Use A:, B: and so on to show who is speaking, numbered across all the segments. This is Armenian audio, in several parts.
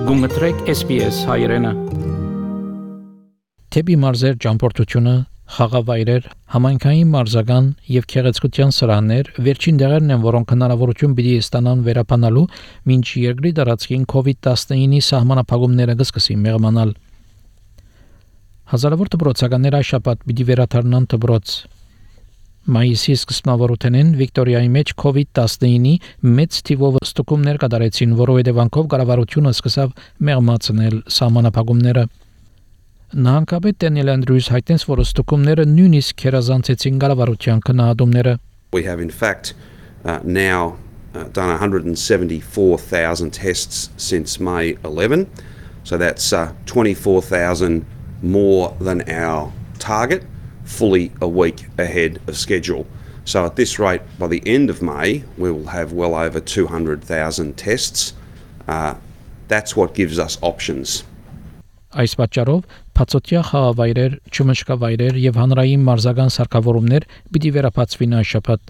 A: Գումտրեք SPS հայրենը։ Թեպի մարզեր ճամփորդությունը, խաղավայրեր, համայնքային մարզական եւ քեղեցկության սրաներ վերջին դերերն են, որոնք հնարավորություն պիտի ստանան վերապանալու, մինչ երկրի տարածքին COVID-19-ի սահմանափակումները կսկսի մեղմանալ։ Հազարավոր դպրոցականներ այս շաբաթ պիտի վերադառնան դպրոց։ Մայիսի սկզբնավորութենեն Վիկտորիայի մեջ COVID-19-ի մեծ թիվով ստուգումներ կատարեցին, որովհետև անկով կառավարությունը սկսավ մեղմացնել սահմանափակումները։ Նահանգապետ Դենիել Անդրյուս հայտնեց, որ ստուգումները նույնիսկ քերազանցեցին կառավարության քննադատումները։
B: We have in fact now done 174,000 tests since May 11, so that's 24,000 more than our target. Fully a week ahead of schedule. So at this rate, by the end of May, we will have well over 200,000 tests. That's what gives us options.
A: Այս պատճառով փածոտյա խաղավայրեր, ճմշկավայրեր եւ հանրային մարզական սարքավորումներ պիտի վերապացվին այս շաբաթ։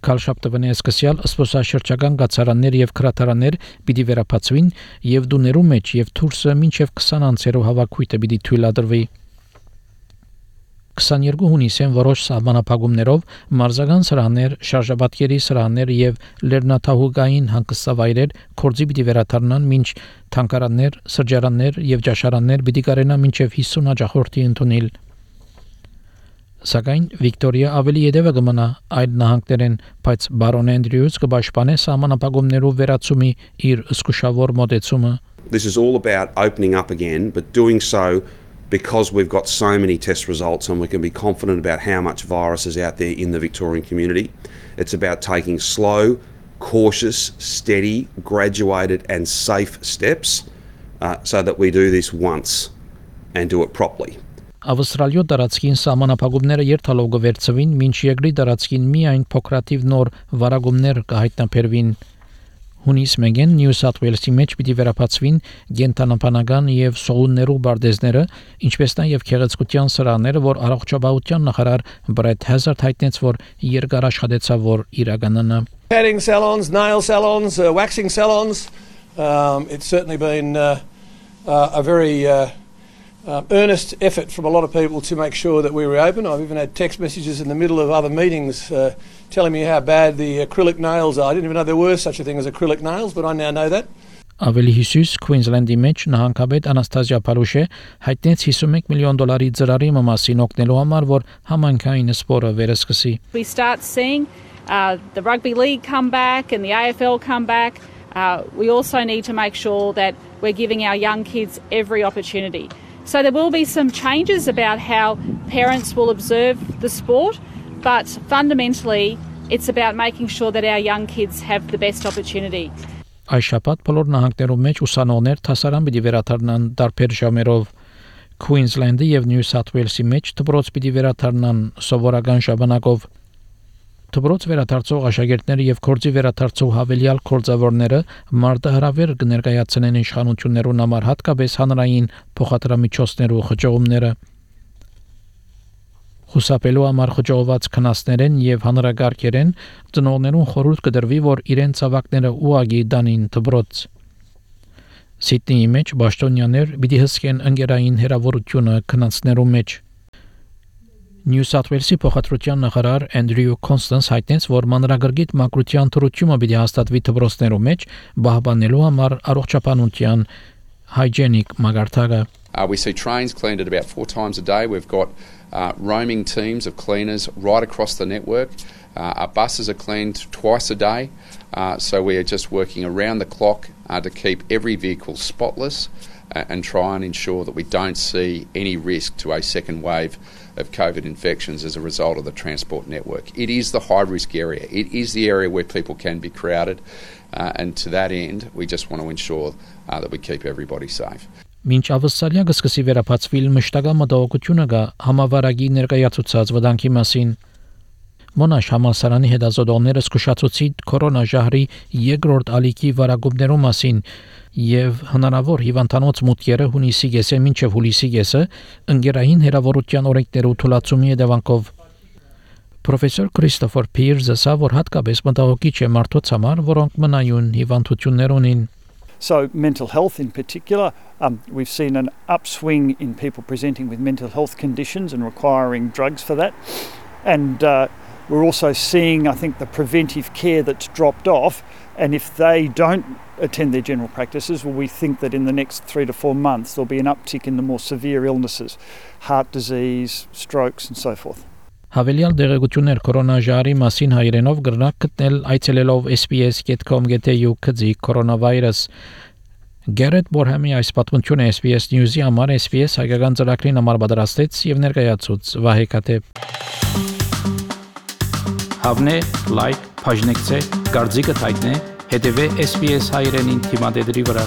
A: Քալշապտվնի սկսյալ սպորտաշրջական գացարաններ եւ քրատարաններ պիտի վերապացվին եւ դուներու մեջ եւ թուրսը մինչեւ 20 անցերով հավաքույթը պիտի թույլատրվի։ 22 հունիսին որոշ սահմանափակումներով մարզական սրաներ, շարժաբատկերի սրաներ եւ լեռնաթահուգային հանգստավայրեր կորձի պիտի վերադառնան, մինչ թանգարաններ, սրճարաններ եւ ճաշարաններ պիտի կարենան մինչեւ 50 հաջորդի ընդունել։ Սակայն Վիկտորիա ավելի յետևը կմնա այլ նահանգներեն, բայց բարոն Անդրյուս կպաշտպանե սահմանափակումներով վերացումի իր զսկուշավոր մոտեցումը։
B: This is all about opening up again, but doing so because we've got so many test results and we can be confident about how much virus is out there in the Victorian community. It's about taking slow, cautious, steady, graduated and safe steps so that we do this once and do it properly.
A: Ավստրալիո տարածքին սահմանափակումները երթալով կվերցվին, մինչ երկրի տարածքին միայն փոքրաթիվ նոր վարագումներ կհայտնաբերվին։ Հունիս մեկին Նյու Սաութ Ուելսի մեջ պիտի վերապացվին գենտանապանական եւ սողուններու բարդեզները, ինչպես նաեւ քեղեցկության սրաները, որ առողջապահության նախարար Բրեթ Հեզարդ հայտնեց, որ երկար աշխատեցավ, որ իրականանա։
C: Padding salons, nail salons, waxing salons. It's certainly been a very earnest effort from a lot of people to make sure that we reopen. I've even had text messages in the middle of other meetings telling me how bad the acrylic nails are. I didn't even know there were such a thing as acrylic nails, but I now know that.
A: Ավելի հյուսիս Քվինզլենդի մեջ նահանգապետ Անաստազիա Փալուշե հայտնեց $51 միլիոն ծրարի մասին օգնելու համար, որ համայնքային սպորտը վերսկսի։
D: We start seeing the rugby league come back and the AFL come back. We also need to make sure that we're giving our young kids every opportunity. So there will be some changes about how parents will observe the sport, but fundamentally it's about making sure that our young kids have the best opportunity.
A: Այս շաբաթ բոլոր նահանգներում մեջ ուսանողներ դասարան պիտի վերադառնան տարբեր ժամերով։ Քվինզլենդի եւ Նյու Սաութ Ուելսի մեջ դպրոց պիտի վերադառնան սովորական ժամանակով։ Դպրոց վերադարձող աշակերտները եւ կորձի վերադարձող հավելյալ կորձավորները մարտահրավեր կներկայացնեն իշխանություններուն համար, հատկապես հանրային փոխադրամիջոցներու խճողումները։ Խուսափելու համար խճողված քնասներեն եւ հանրագարքերեն ծնողներուն խորհուրդ կդրվի, որ իրենց ավակները ուղագի դանին դպրոց։ Սիդնեի մեջ բաշտոնյաներ պիտի հսկեն ընկերային հերավորությունը քնասներու մեջ։ Նյու Սաութ Ուելսի փոխադրության նախարար Անդրյու Կոնստանս հայտնեց, որ մանրագրգիռ մակրության թրությունը պիտի հաստատվի դպրոցներու մեջ, պահպանելու համար առողջապահության hygienic մագարտակը։
E: We see trains cleaned at about 4 times a day. We've got roaming teams of cleaners right across the network. Our buses are cleaned twice a day. So we are just working around the clock to keep every vehicle spotless and try and ensure that we don't see any risk to a second wave of COVID infections as a result of the transport network. It is the high-risk area. It is the area where people can be crowded. And to that end, we just want to ensure that we keep everybody safe.
A: Մինչ Ավստրալիա կսկսի վերապացվել, մշտական մտահոգությունը կա համավարակի ներկայացուցած վտանգի մասին։ Մոնաշ համալսարանի հետազոտողները զսկուշացուցին կորոնաժահրի երկրորդ ալիքի վարակումներու մասին եւ հնարավոր հիվանդանոց մուտքերը հունիսի կեսը մինչեւ հուլիսի կեսը ընկերային հերավորության օրենքներու թույլատրումի հետևանքով Պրոֆեսոր Քրիստոֆեր Փիրսը ասավ, որ հատկապես մտահոգիչ է մարդոց համար, որոնք մնայուն հիվանդություններ ունին.
F: So mental health in particular, we've seen an upswing in people presenting with mental health conditions and requiring drugs for that. And we're also seeing, I think, the preventive care that's dropped off. And if they don't attend their general practices, well, we think that in the next 3 to 4 months there'll be an uptick in the more severe illnesses, heart disease, strokes and so forth.
A: Հավելյալ դեղեցություններ կորոնաժարի մասին հայերենով գրնակ գտնել այցելելով sbs.com.au/քծի կորոնավիրուս Գերետ Բորհամի այս պատմությունը SBS News-ի համար SBS հայկական ծրագրին համար պատրաստեց եւ ներկայացուց Վահե Կատեփ Հավնե լայք բաժնեկցե դարձիկը թայտնե հետեւե SBS հայրենին թիմադեդի վրա